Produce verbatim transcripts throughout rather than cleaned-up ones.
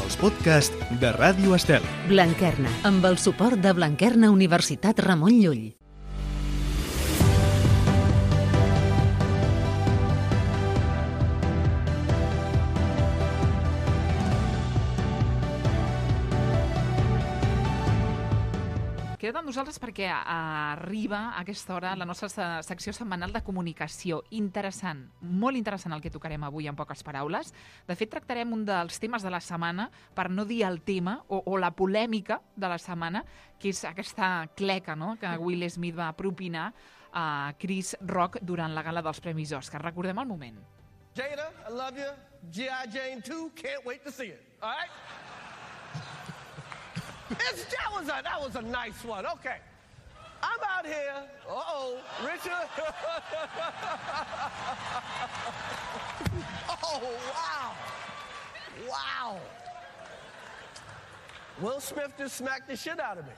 els podcasts de Ràdio Estel. Blanquerna, amb el suport de Blanquerna Universitat Ramon Llull. Queda't amb nosaltres perquè arriba a aquesta hora la nostra secció setmanal de comunicació. Interessant, molt interessant el que tocarem avui en poques paraules. De fet, tractarem un dels temes de la setmana, per no dir el tema, o, o la polèmica de la setmana, que és aquesta cleca, no?, que Will Smith va propinar a Chris Rock durant la gala dels Premis Òscar. Recordem el moment. Jada, I love you. G I. Jane two, can't wait to see it. All right? It's, that was a that was a nice one. Okay, I'm out here. Uh oh, Richard. Oh wow, wow. Will Smith just smacked the shit out of me.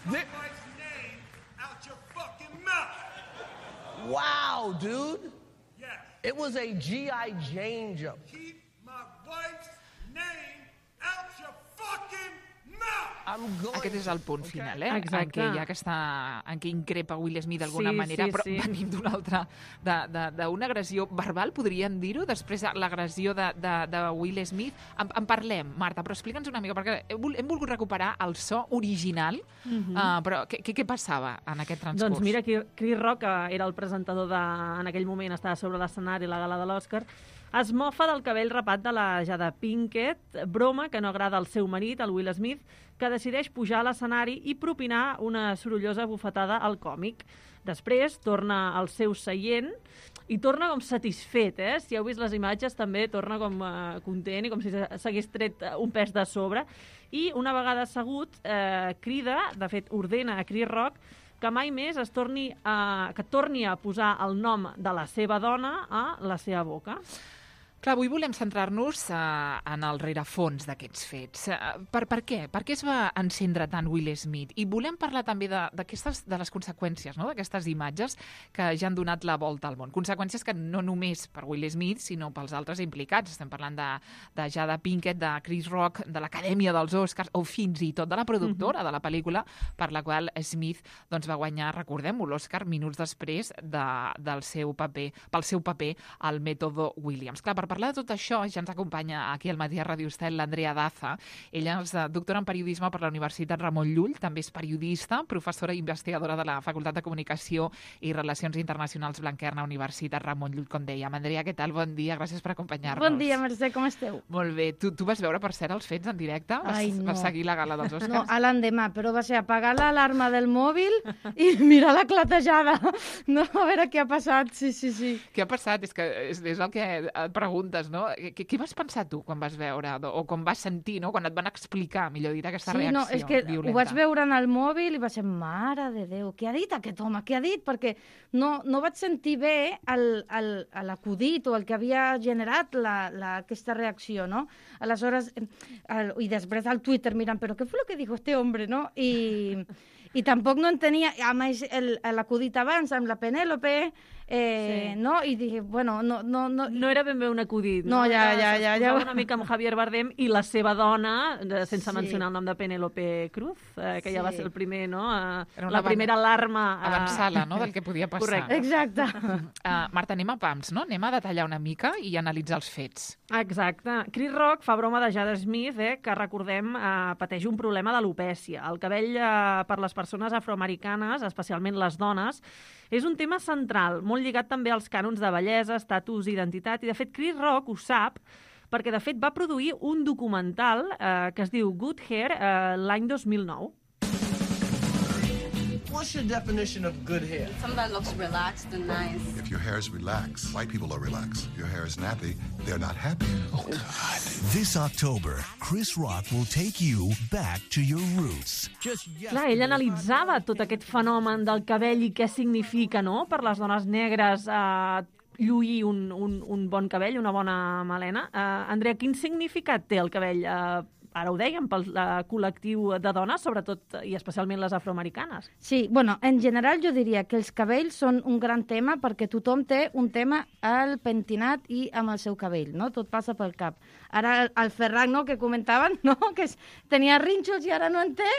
Keep my wife's name out your fucking mouth. Wow, dude. Yes. It was a G I. Jane jump. Keep my wife's name out your fucking mouth. I'm going. Aquest és el punt final, eh? Exacte. En què hi ha aquesta... en què increpa Will Smith d'alguna Sí, manera, sí, però sí. venim d'una altra... d'una agressió verbal, podríem dir-ho, després de l'agressió de, de, de Will Smith. En, en parlem, Marta, però explica'ns una mica, perquè hem, hem volgut recuperar el so original, Mhm. uh, però què, què, què passava en aquest transcurs? Doncs mira, Chris Rock, que era el presentador de... en aquell moment estava sobre l'escenari a la gala de l'Oscar, es mofa del cabell rapat de la Jada Pinkett, broma que no agrada al seu marit, el Will Smith, que decideix pujar a l'escenari i propinar una sorollosa bufetada al còmic. Després torna al seu seient i torna com satisfet, eh? Si heu vist les imatges també torna com eh, content i com si s'hagués tret un pes de sobre. I una vegada assegut eh, crida, de fet ordena a Chris Rock que mai més es torni a, que torni a posar el nom de la seva dona a la seva boca. Clar, avui volem centrar-nos uh, en el rerefons d'aquests fets. Uh, per, per què? Per què es va encendre tant Will Smith? I volem parlar també de, de les conseqüències, no?, d'aquestes imatges que ja han donat la volta al món. Conseqüències que no només per Will Smith, sinó pels altres implicats. Estem parlant de, de Jada Pinkett, de Chris Rock, de l'Acadèmia dels Oscars, o fins i tot de la productora mm-hmm. de la pel·lícula, per la qual Smith doncs, va guanyar, recordem-ho, l'Oscar minuts després de, del seu paper, pel seu paper al Mètode Williams. Clar, per parlar de tot això, ja ens acompanya aquí al matí a Ràdio Estel l'Andrea Daza. Ella és doctora en periodisme per la Universitat Ramon Llull, també és periodista, professora i investigadora de la Facultat de Comunicació i Relacions Internacionals Blanquerna, Universitat Ramon Llull, com dèiem. Andrea, què tal? Bon dia, gràcies per acompanyar-nos. Bon dia, Mercè, com esteu? Molt bé. Tu, tu vas veure, per cert, els fets en directe? Vas, Ai, no. vas seguir la gala dels Oscars? No, a l'endemà, però va ser apagar l'alarma del mòbil i mirar la clatejada. No, a veure què ha passat, sí, sí, sí. Què ha passat? És que és, és el que et preguntes, no? Què, què vas pensar tu quan vas veure, o com vas sentir, no?, quan et van explicar, millor dit, aquesta sí, reacció no, és que violenta? ho vaig veure en el mòbil i va ser, mare de Déu, què ha dit aquest home, què ha dit? Perquè no, no vaig sentir bé l'acudit o el que havia generat la, la, aquesta reacció, no? Aleshores, el, i després al Twitter mirant, però què fue lo que dijo este hombre, no? I, i tampoc no entenia, a més, l'acudit abans amb la Penèlope, Eh, sí. no? I dic, bueno, no... No, no, no era ben bé un acudit, no? No, ja, ja, ja. ja. una mica amb Javier Bardem i la seva dona, sense sí. mencionar el nom de Penélope Cruz, eh, que sí. ja va ser el primer, no? Eh, la avan... primera alarma... Eh... Avançada, no?, del que podia passar. Correcte. Exacte. Uh, Marta, anem a pams, no? Anem a detallar una mica i analitzar els fets. Exacte. Chris Rock fa broma de Jada Smith, eh, que recordem eh, pateix un problema d'alopècia. El cabell eh, per les persones afroamericanes, especialment les dones, és un tema central, molt lligat també als cànons de bellesa, estatus, identitat, i de fet Chris Rock ho sap, perquè de fet va produir un documental eh, que es diu Good Hair eh, l'any dos mil nou. What's your definition of good hair? Something that looks relaxed and nice. If your hair is relaxed, white people are relaxed. Your hair is nappy, they're not happy. Oh, God. This October, Chris Rock will take you back to your roots. Clar, ell analitzava tot aquest fenomen del cabell i què significa, no?, per les dones negres eh, lluir un, un, un bon cabell, una bona melena. Eh, Andrea, quin significat té el cabell eh, ara ho dèiem, pel uh, col·lectiu de dones, sobretot i especialment les afroamericanes. Sí, bueno, en general jo diria que els cabells són un gran tema perquè tothom té un tema al pentinat i amb el seu cabell, no? Tot passa pel cap. Ara el, el Ferran, no?, que comentaven, no?, que es, tenia rínxols i ara no en té.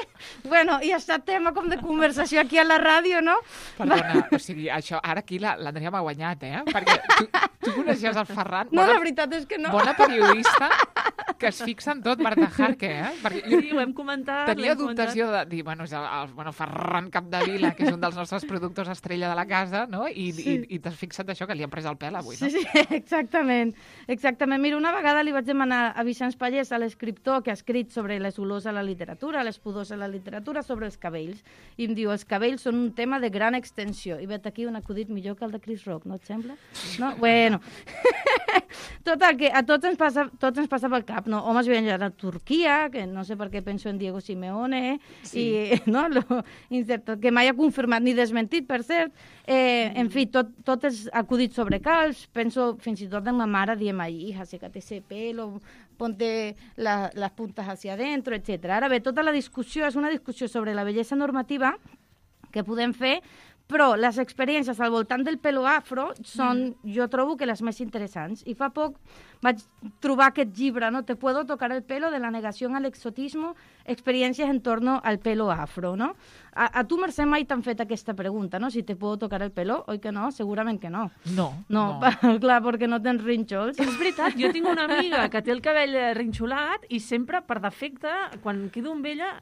Bueno, i ha estat tema com de conversació aquí a la ràdio, no? Perdona, o sigui, això, ara aquí l'Andrea m'ha guanyat, eh? Perquè tu, tu coneixies el Ferran. No, bona, la veritat és que no. Bona periodista que es fixa en tot, Marta Jarque, eh? Perquè jo Sí, ho hem comentat. tenia dubtes jo de dir, bueno, és el, el bueno, Ferran Capdevila, que és un dels nostres productors estrella de la casa, no? I, sí. i, i t'has fixat això, que li han pres el pèl avui, no? Sí, sí, exactament. Exactament. Mira, una vegada li vaig demanar a Vicenç Pallés, a l'escriptor que ha escrit sobre les olors a la literatura, les pudors a la literatura, sobre els cabells. I em diu, els cabells són un tema de gran extensió. I vet aquí un acudit millor que el de Chris Rock, no et sembla? No? Bueno. Total, que a tots ens passa, tots ens passa pel cap, no? Homes viatjant a Turquia, que no sé per què penso en Diego Simeone, sí. i, no? Lo, que mai ha confirmat ni desmentit, per cert. Eh, en fi, tot, tot és acudit sobre calç. Penso fins i tot en ma mare diem, ai, hija, sécate ese pelo, ponte la, las puntas hacia adentro, etcètera. Ara bé, tota la discussió és una discussió sobre la bellesa normativa que podem fer, però les experiències al voltant del pelo afro són, mm. jo trobo que les més interessants. I fa poc vaig trobar aquest llibre, no? Te puedo tocar el pelo, de la negació al exotismo, experiències en torno al pelo afro, no? A, a tu, Mercè, mai t'han fet aquesta pregunta, no? Si te puedo tocar el pelo, oi que no? Segurament que no. No. No, no. Clar, perquè no tens rínxols. És veritat, jo tinc una amiga que té el cabell rinxolat i sempre, per defecte, quan quedo amb ella,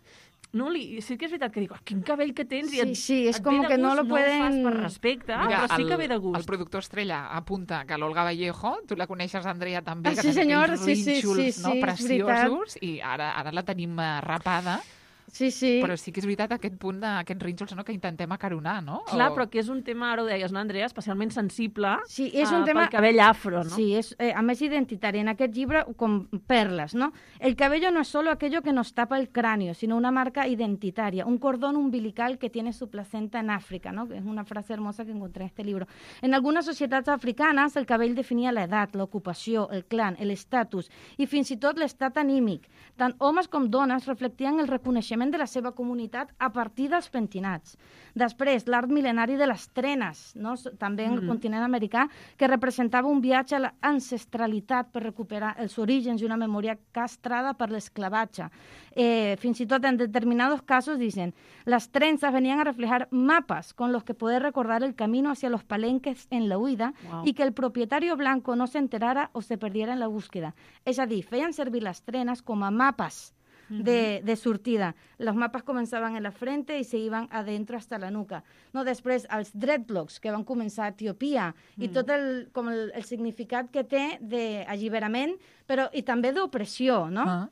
no, li, sí que és veritat que dic, oh, quin cabell que tens, i sí, et, sí, és et com ve de que gust, no lo pueden... no ho fas per respecte, Mira, però sí el, que ve de gust. El productor estrella apunta que l'Olga Vallejo, tu la coneixes, Andrea, també, ah, que sí, senyor, aquells sí, sí, rínxols, sí, no, sí, preciosos, i ara, ara la tenim uh, rapada. Sí, sí. Però sí que és veritat aquest punt d'aquests rínxols, no?, que intentem acaronar, no? Clar, o... però que és un tema, ara ho deies, no, Andrea, especialment sensible sí, és un uh, tema... pel cabell afro, no? Sí, és, eh, a més identitari. En aquest llibre, com perles, ¿no? El cabello no es solo aquello que nos tapa el cráneo, sino una marca identitaria, un cordón umbilical que tiene su placenta en África, ¿no? Que es una frase hermosa que encontré en este libro. En algunes societats africanes, el cabell definia l'edat, l'ocupació, el clan, l'estatus i fins i tot l'estat anímic. Tant homes com dones reflectien el reconeixement de la seva comunitat a partir dels pentinats. Després, l'art mil·lenari de les trenes, no? També en el mm. continent americà, que representava un viatge a l'ancestralitat per recuperar els orígens i una memòria castrada per l'esclavatge. Eh, fins i tot en determinados casos dicen, las trenzas venían a reflejar mapas con los que poder recordar el camino hacia los palenques en la huida wow. y que el propietario blanco no se enterara o se perdiera en la búsqueda. És a dir, feien servir les trenes com a mapes De, de sortida. Los mapas començaven en la frente i se iban adentro hasta la nuca. No, després, els dreadlocks, que van començar a Etiòpia, mm. i tot el, com el, el significat que té d'alliberament, però i també d'opressió, no? Ah.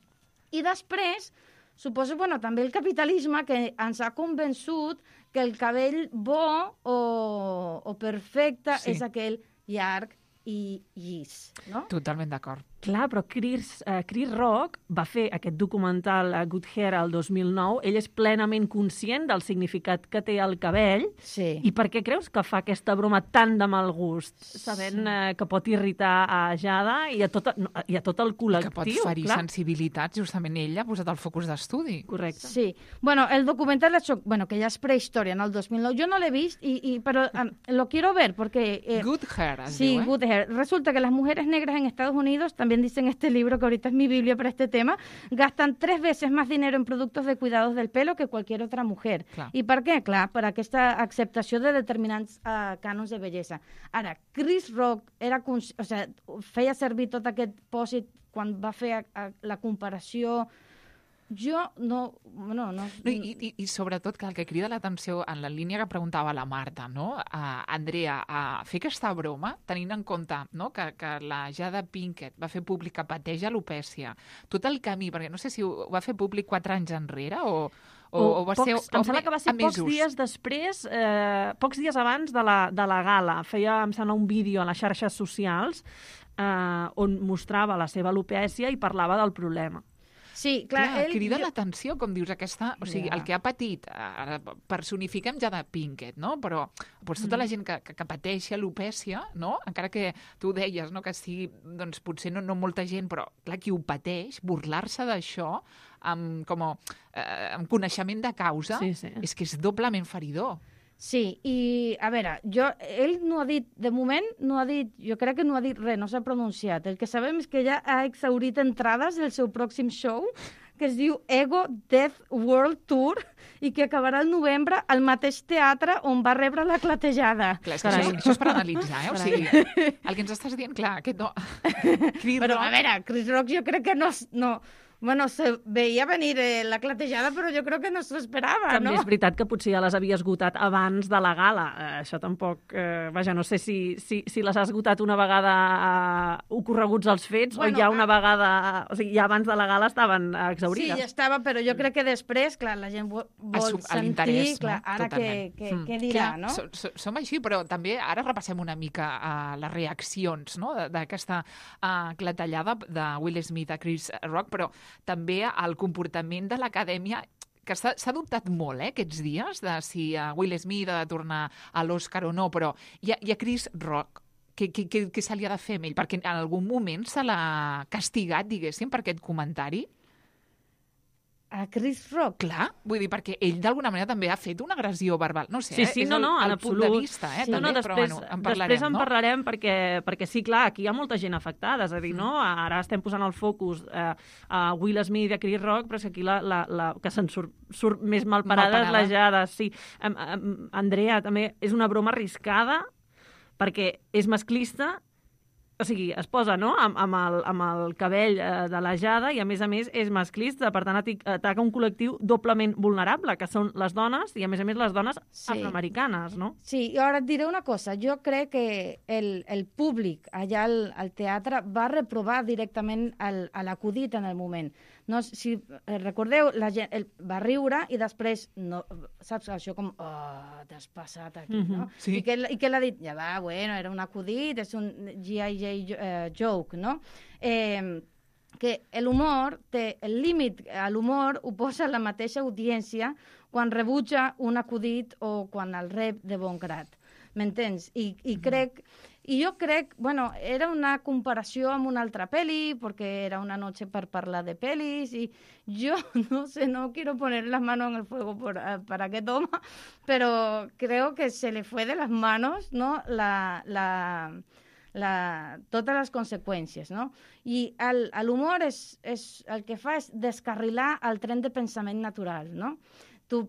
I després, suposo, bueno, també el capitalisme que ens ha convençut que el cabell bo o, o perfecte sí. és aquell llarg i llis, no? Totalment d'acord. Clar, però Chris, uh, Chris Rock va fer aquest documental uh, Good Hair el dos mil nou. Ell és plenament conscient del significat que té el cabell. Sí. I per què creus que fa aquesta broma tan de mal gust? Sabent sí. uh, que pot irritar a Jada i a tot, no, i a tot el col·lectiu. I que pot ferir clar. sensibilitats, justament ella ha posat el focus d'estudi. Correcte. Sí. Bueno, el documental, bueno, que ja és prehistòria, en el dos mil nou. Jo no l'he vist, i, y, pero um, lo quiero ver, porque... Eh, Good Hair, es sí, diu, eh? Good Hair. Resulta que las mujeres negras en Estados Unidos también dicen este libro, que ahorita es mi biblia para este tema, gastan tres veces más dinero en productos de cuidados del pelo que cualquier otra mujer. Clar. I per què? Clar, per aquesta acceptació de determinants uh, cànons de bellesa. Ara, Chris Rock era, o sea, feia servir tot aquest pòsit quan va fer a, a, la comparació. Jo no... no, no, no i, i, I sobretot que el que crida l'atenció en la línia que preguntava la Marta, no? Uh, Andrea, uh, fer aquesta broma, tenint en compte, no?, que, que la Jada Pinkett va fer públic que pateix alopècia, tot el camí, perquè no sé si ho va fer públic quatre anys enrere o... O, o, o va pocs, ser, em sembla que va ser pocs dies després, eh, pocs dies abans de la, de la gala. Feia, em sembla, un vídeo a les xarxes socials eh, on mostrava la seva alopècia i parlava del problema. Sí, clar, clar ell... crida jo- l'atenció, com dius, aquesta... O sigui, Ja. el que ha patit, ara personifiquem ja de Pinkett, no? Però doncs, tota la gent que, que, que pateixi alopècia, no? Encara que tu deies, no?, que sigui, doncs, potser no, no molta gent, però, clar, qui ho pateix, burlar-se d'això amb, com, eh, amb coneixement de causa, Sí, sí. és que és doblement feridor. Sí, i a veure, jo, ell no ha dit, de moment no ha dit, jo crec que no ha dit res, no s'ha pronunciat. El que sabem és que ja ha exhaurit entrades del seu pròxim show, que es diu Ego Death World Tour, i que acabarà el novembre al mateix teatre on va rebre la clatejada. Clar, és que això, això és per analitzar, eh? O sigui, el que ens estàs dient, clar, aquest no... Chris Però, Rock- a veure, Chris Rock jo crec que no... no bueno, se veia venir eh, la clatejada, però jo crec que no s'ho esperava, També no? és veritat que potser ja les havia esgotat abans de la gala. Eh, això tampoc... Eh, vaja, no sé si, si, si les ha esgotat una vegada eh, ocorreguts els fets Bueno, o ja una ah. vegada... O sigui, ja abans de la gala estaven eh, Sí, exaurides. ja estava, però jo crec que després, clar, la gent vol, vol Assum- a sentir, l'interès, clar, no? ara què, Totalment. què, Mm. què dirà, Clar, no? so- so- Som així, però també ara repassem una mica uh, les reaccions, no?, de- d'aquesta uh, clatellada de Will Smith a Chris Rock, però també el comportament de l'acadèmia, que s'ha s'ha dubtat molt, eh, aquests dies, de si uh, Will Smith ha de tornar a l'Oscar o no, però i a, i a Chris Rock, què, què, què, què se li ha de fer amb ell? Perquè en algun moment se l'ha castigat, diguéssim, per aquest comentari? A Chris Rock? Clar, vull dir, perquè ell d'alguna manera també ha fet una agressió verbal. No sé, Sí, eh? sí, és no, el, no, en el punt absolut. de vista, eh? Sí, també, no, no, però després, bueno, en parlarem, després en no? parlarem perquè, perquè sí, clar, aquí hi ha molta gent afectada, és a dir, no? Ara estem posant el focus eh, a Will Smith i a Chris Rock, però és que aquí la, la, la que se'n surt, surt més malparada és la Jada, sí. Em, em, Andrea, també és una broma arriscada perquè és masclista, o sigui, es posa, no?, amb, amb, el, amb el cabell eh, de la Jada i, a més a més, és masclista. Per tant, ati- ataca un col·lectiu doblement vulnerable, que són les dones i, a més a més, les dones Sí. afroamericanes, no? Sí, i ara et diré una cosa. Jo crec que el, el públic allà al, al teatre va reprovar directament el, a l'acudit en el moment. No, si eh, recordeu, la gent el, va riure i després, no, saps, això com, oh, t'has passat aquí, Mhm, no? sí. I que, I que l'ha dit, ja va, bueno, era un acudit, és un G I J eh, joke, no? Eh, que l'humor té el límit a l'humor ho posa la mateixa audiència quan rebutja un acudit o quan el rep de bon grat. M'entens? I, i crec... I jo crec, bueno, era una comparació amb una altra peli, perquè era una noche per parlar de pelis, i jo, no sé, no quiero poner las manos en el fuego por, para aquest home, però creo que se le fue de las manos, ¿no?, la... la La, totes les conseqüències, no? I l'humor és, és, el que fa és descarrilar el tren de pensament natural, no? Tu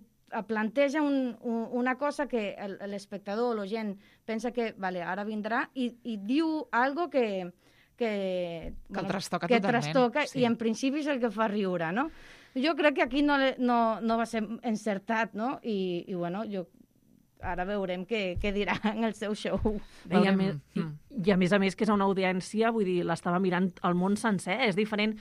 planteja un, un, una cosa que l'espectador o la gent pensa que, vale, ara vindrà, i, i diu algo que... Que, Que el trastoca que totalment, trastoca, sí. i en principi és el que fa riure, no? Jo crec que aquí no, no, no va ser encertat, no? I, i bueno, jo ara veurem què, què dirà en el seu show. I a, Veurem. més, i, Mm. I a més a més que és una audiència, vull dir, l'estava mirant el món sencer. És diferent,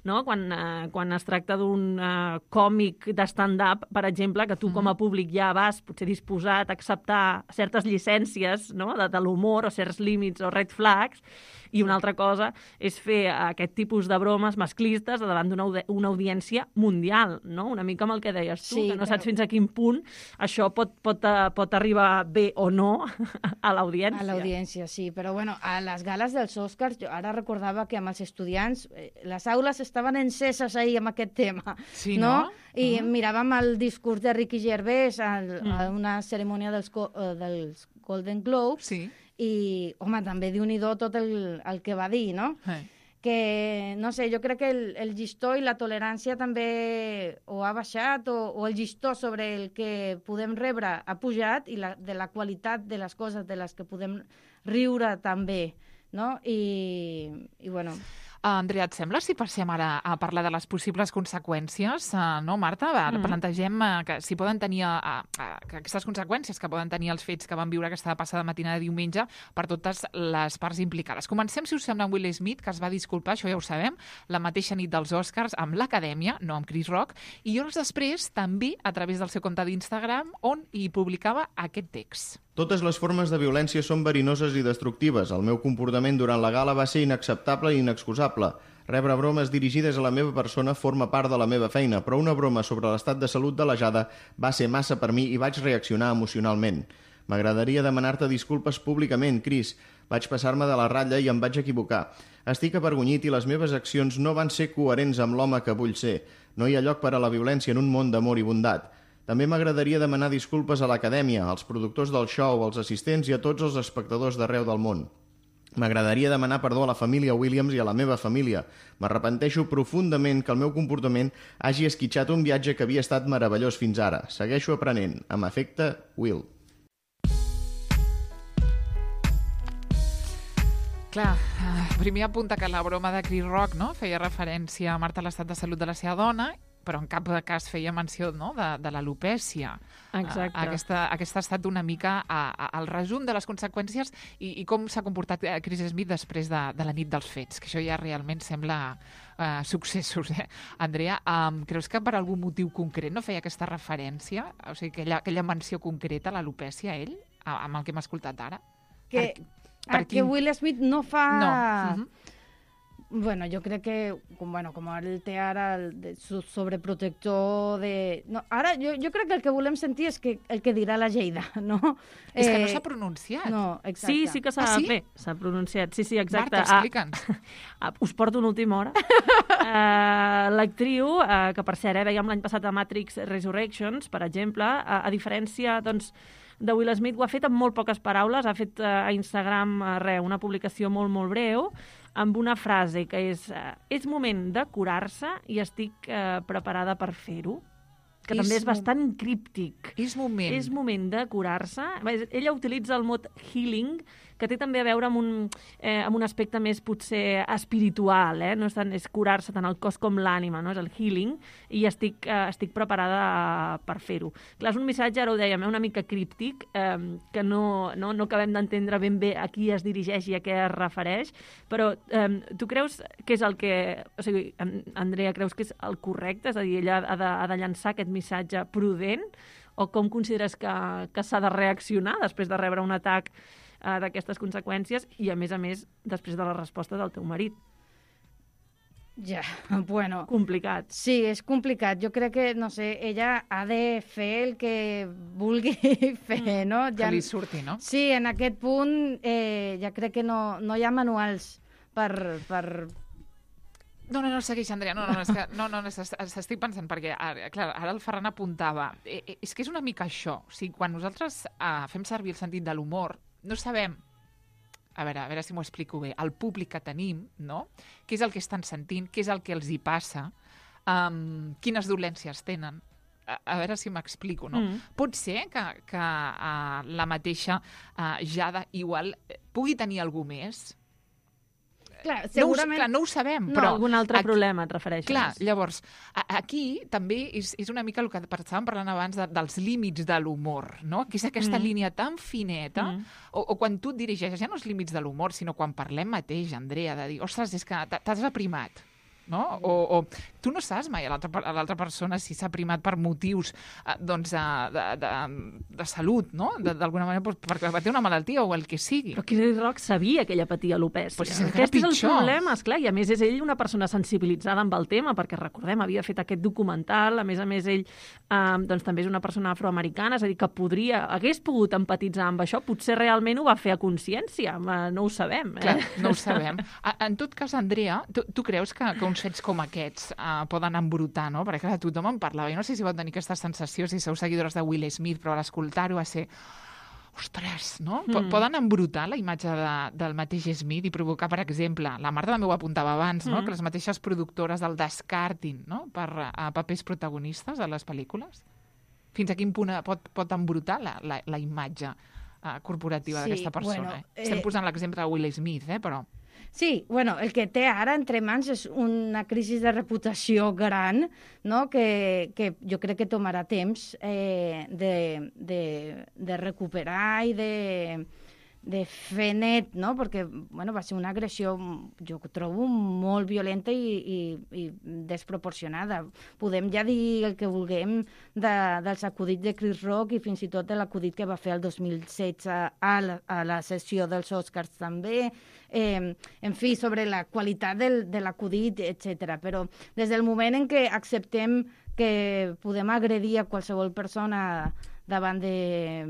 no?, quan, eh, quan es tracta d'un eh, còmic de stand-up, per exemple, que tu com a públic ja vas potser disposat a acceptar certes llicències, no?, de, de l'humor o certs límits o red flags, i una altra cosa és fer aquest tipus de bromes masclistes davant d'una audi una audiència mundial, no? Una mica amb el que deies tu, Sí, que no però- saps fins a quin punt això pot, pot, eh, pot arribar bé o no a l'audiència. A l'audiència, sí. Però, bueno, a les gales dels Oscars, jo ara recordava que amb els estudiants eh, les aules estaven enceses ahir amb aquest tema. Sí, no? I Ah. miràvem el discurs de Ricky Gervais al, Mm. a una cerimònia dels, co- eh, dels Golden Globes Sí. i, home, també Déu-n'hi-do tot el, el que va dir, no? Eh. Que, no sé, jo crec que el, el llistó i la tolerància també o ha baixat o, o el llistó sobre el que podem rebre ha pujat i la, de la qualitat de les coses de les que podem riure també, no? I, i bueno... Uh, Andrea, et sembla si passem ara a parlar de les possibles conseqüències? Uh, no, Marta? Va, Mm. plantegem uh, que si poden tenir uh, uh, que aquestes conseqüències que poden tenir els fets que van viure aquesta passada matinada de diumenge per totes les parts implicades. Comencem, si us sembla, amb Will Smith, que es va disculpar, això ja ho sabem, la mateixa nit dels Oscars amb l'Acadèmia, no amb Chris Rock, i hores després també a través del seu compte d'Instagram on hi publicava aquest text. Totes les formes de violència són verinoses i destructives. El meu comportament durant la gala va ser inacceptable i inexcusable. Rebre bromes dirigides a la meva persona forma part de la meva feina, però una broma sobre l'estat de salut de la Jada va ser massa per mi i vaig reaccionar emocionalment. M'agradaria demanar-te disculpes públicament, Chris. Vaig passar-me de la ratlla i em vaig equivocar. Estic avergonyit i les meves accions no van ser coherents amb l'home que vull ser. No hi ha lloc per a la violència en un món d'amor i bondat. També m'agradaria demanar disculpes a l'acadèmia, als productors del show, als assistents i a tots els espectadors d'arreu del món. M'agradaria demanar perdó a la família Williams i a la meva família. M'arrepenteixo profundament que el meu comportament hagi esquitxat un viatge que havia estat meravellós fins ara. Segueixo aprenent. Amb afecte, Will. Clar, primer apunta que la broma de Chris Rock, no?, feia referència a Marta a l'estat de salut de la seva dona, però en cap cas feia menció, no?, de, de l'alopècia. Exacte. Aquesta, aquesta ha estat una mica a, a, el resum de les conseqüències i, i com s'ha comportat Chris Smith després de, de la nit dels fets, que això ja realment sembla uh, successos, eh? Andrea, um, creus que per algun motiu concret no feia aquesta referència, o sigui, aquella, aquella menció concreta a l'alopècia, ell, amb el que hem escoltat ara? Que, per, per que quin... Will Smith no fa... No. Uh-huh. Bueno, jo crec que, com, bueno, com el té ara el de, sobreprotector de... No, ara jo, jo crec que el que volem sentir és que el que dirà la Lleida, no? És eh, que no eh, s'ha pronunciat. No, exacte. Sí, sí que s'ha ah, sí? bé, s'ha pronunciat. Sí, sí, exacte. Marta, explica'ns. Ah, ah, us porto una última hora. uh, L'actriu, uh, que per cert, eh, veiem l'any passat a Matrix Resurrections, per exemple, uh, a diferència, doncs, de Will Smith, ho ha fet amb molt poques paraules, ha fet uh, a Instagram uh, re, una publicació molt, molt breu, amb una frase que és uh, és moment de curar-se i estic uh, preparada per fer-ho, que és també és bastant críptic. És moment. És moment de curar-se. Ella utilitza el mot healing, que té també a veure amb un, eh, amb un aspecte més potser espiritual, eh? No és, tant, és curar-se tant el cos com l'ànima, no? És el healing, i estic, eh, estic preparada per fer-ho. Clar, és un missatge, ara ho dèiem, una mica críptic, eh, que no, no, no acabem d'entendre ben bé a qui es dirigeix i a què es refereix, però eh, tu creus que és el que... O sigui, Andrea, creus que és el correcte? És a dir, ella ha de, ha de llançar aquest missatge prudent, o com consideres que, que s'ha de reaccionar després de rebre un atac uh, d'aquestes conseqüències i, a més a més, després de la resposta del teu marit? Ja, bueno... Complicat. Sí, és complicat. Jo crec que, no sé, ella ha de fer el que vulgui fer, no? Ja... Que li surti, no? Sí, en aquest punt eh, ja crec que no, no hi ha manuals per... per... No, no, no, segueix, Andrea. No, no, és que, no, no, s'estic pensant, perquè ara, clar, ara el Ferran apuntava. Eh, eh, és que és una mica això. O sigui, quan nosaltres eh, fem servir el sentit de l'humor, no sabem, a veure, a veure si m'ho explico bé, el públic que tenim, no? Què és el que estan sentint, què és el que els hi passa, um, quines dolències tenen. A, a veure si m'explico, no? Mm. Pot ser que, que uh, la mateixa uh, Jada igual pugui tenir algú més. Clar, segurament... No ho, clar, no ho sabem, no, però... algun altre aquí, problema et refereixes. Clar, llavors, a, aquí també és, és una mica el que estàvem parlant abans de, dels límits de l'humor, no? Que és aquesta mm. línia tan fineta, mm. o, o quan tu et dirigeixes, ja no els límits de l'humor, sinó quan parlem mateix, Andrea, de dir, ostres, és que t'has aprimat, no? O, o tu no saps mai a l'altra persona si s'ha primat per motius eh, doncs, de, de, de salut, no? D'alguna manera, doncs, perquè va tenir una malaltia o el que sigui. Però Chris Rock sabia que ella patia alopècia. Pues és Aquest és el pitjor. problema, esclar, i a més és ell una persona sensibilitzada amb el tema, perquè recordem, havia fet aquest documental, a més a més ell eh, doncs, també és una persona afroamericana, és a dir, que podria, hagués pogut empatitzar amb això, potser realment ho va fer a consciència, no ho sabem. Eh? Clar, no ho sabem. En tot cas, Andrea, tu, tu creus que, que uns fets com aquests uh, poden embrutar, no? Perquè clar, tothom en parlava. Jo no sé si vau tenir aquesta sensació, si sou seguidors de Will Smith, però a l'escoltar-ho va ser... Ostres, no? Mm. Poden embrutar la imatge de, del mateix Smith i provocar, per exemple, la Marta també ho apuntava abans, no? Mm. Que les mateixes productores el descartin, no? Per a papers protagonistes a les pel·lícules. Fins a quin punt pot, pot embrutar la, la, la imatge uh, corporativa sí, d'aquesta persona? bueno, eh... Estem eh... posant l'exemple de Will Smith, eh? Però... Sí, bueno, el que té ara entre mans és una crisi de reputació gran, no? que, que jo crec que tomarà temps eh, de, de, de recuperar i de, de fer net, no? Perquè bueno, va ser una agressió, jo trobo, molt violenta i, i, i desproporcionada. Podem ja dir el que vulguem de, dels acudits de Chris Rock i fins i tot de l'acudit que va fer el dos mil setze a la, a la sessió dels Oscars també, eh, en fi, sobre la qualitat del, de l'acudit, etcètera. Però des del moment en què acceptem que podem agredir a qualsevol persona davant de...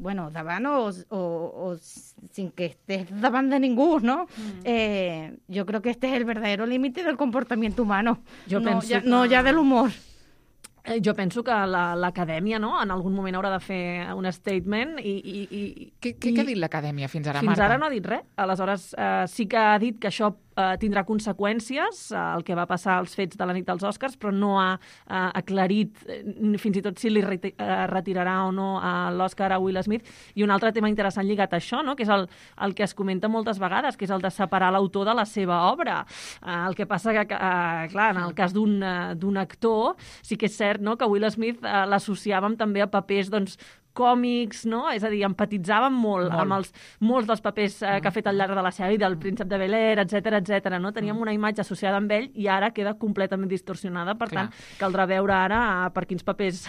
bueno, davant o, o, o sin que estés davant de ningú, ¿no? Mm. Eh, yo creo que este es el verdadero límite del comportamiento humano, jo no, penso ja, que... no ja de l'humor. Jo penso que l'acadèmia, no?, en algun moment haurà de fer un statement i... i, i què, què, què ha dit l'acadèmia fins ara, fins Marta? Fins ara no ha dit res. Aleshores, eh, sí que ha dit que això eh, tindrà conseqüències, eh, el que va passar als fets de la nit dels Oscars, però no ha eh, aclarit eh, fins i tot si li reti eh, retirarà o no a l'Oscar a Will Smith. I un altre tema interessant lligat a això, no?, que és el, el que es comenta moltes vegades, que és el de separar l'autor de la seva obra. Eh, el que passa que, eh, clar, en el cas d'un uh, actor, sí que és cert, no?, que Will Smith eh, l'associàvem també a papers, doncs, còmics, no? És a dir, empatitzàvem molt, molt. amb els, molts dels papers eh, que ha fet al llarg de la seva vida, el príncep de Bel-Air, etcètera, etcètera, no? Teníem una imatge associada amb ell i ara queda completament distorsionada, per Clar. tant, caldrà veure ara per quins papers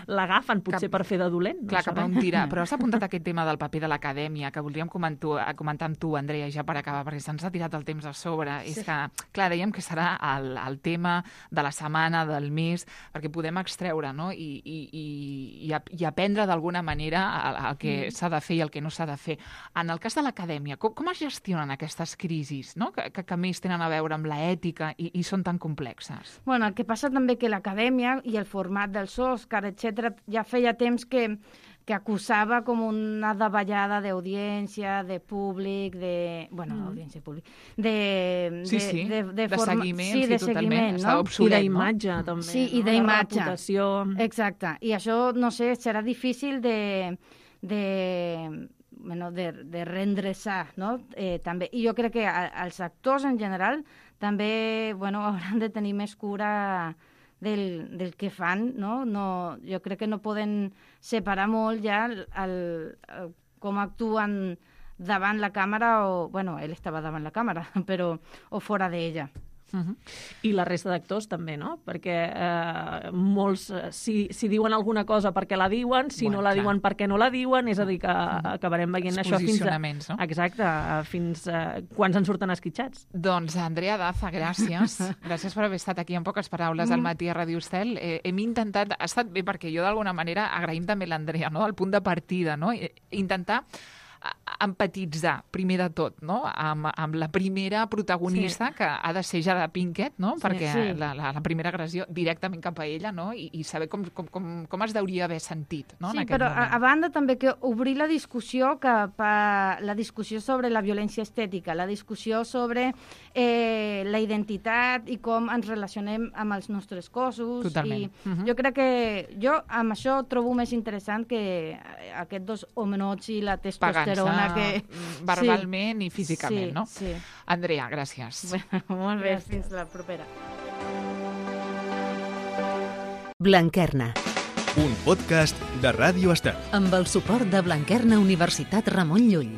l'agafen, potser cap... per fer de dolent. No Clar, sabem. cap a on tirar. Però has apuntat aquest tema del paper de l'acadèmia, que voldríem comentar, comentar amb tu, Andrea, ja per acabar, perquè se'ns ha tirat el temps a sobre. Sí. És que, clar, dèiem que serà el, el tema de la setmana, del mes, perquè podem extreure, no?, i, i, i, i aprendre d'alguna manera el, el que mm. s'ha de fer i el que no s'ha de fer. En el cas de l'acadèmia, com, com es gestionen aquestes crisis, no?, que, que, que més tenen a veure amb l'ètica i, i són tan complexes? Bueno, el que passa també que l'acadèmia i el format dels Òscar, etcètera, ja feia temps que que acusava com una davallada d'audiència, de públic, de... bueno, mm. audiència públic, de... Sí, sí, de, de, de, de forma... seguiment, sí, sí, de totalment, seguiment, està no? obsolet, I d'imatge, no? també. Sí, i no? d'imatge. La reputació... Exacte. I això, no sé, serà difícil de... de bueno, de, de reendreçar, no? Eh, també. I jo crec que a, els actors en general també, bueno, hauran de tenir més cura del, del que fan, no? No, jo crec que no poden separar molt ja el, el, el, com actuen davant la càmera o... bueno, ell estava davant la càmera, però... o fora d'ella. Uh-huh. I la resta d'actors també, no? Perquè eh, molts, si, si diuen alguna cosa perquè la diuen, si bueno, no la clar. diuen perquè no la diuen, és a dir, que uh-huh. acabarem veient això fins a... no? Exacte, fins a... quan se'n surten esquitxats. Doncs, Andrea Daza, gràcies. Gràcies per haver estat aquí amb poques paraules al matí a Ràdio Estel. Eh, hem intentat... Ha estat bé perquè jo, d'alguna manera, agraïm també l'Andrea, no?, el punt de partida, no? Intentar empatitzar, primer de tot, no?, amb, amb la primera protagonista, sí. que ha de ser Jada Pinkett, no?, sí, perquè sí. La, la, la primera agressió directament cap a ella, no?, i, i saber com, com, com, com es deuria haver sentit, no?, sí, en aquest però moment. A, a banda també que obrir la discussió cap a la discussió sobre la violència estètica, la discussió sobre eh, la identitat i com ens relacionem amb els nostres cossos. Totalment. I uh-huh. jo crec que jo amb això trobo més interessant que aquests dos homenots i la testosterona que... verbalment sí. i físicament, sí, no? Sí. Andrea, gràcies. Bueno, molt bé, fins la propera. Blanquerna. Un podcast de Ràdio Estel. Amb el suport de Blanquerna Universitat Ramon Llull.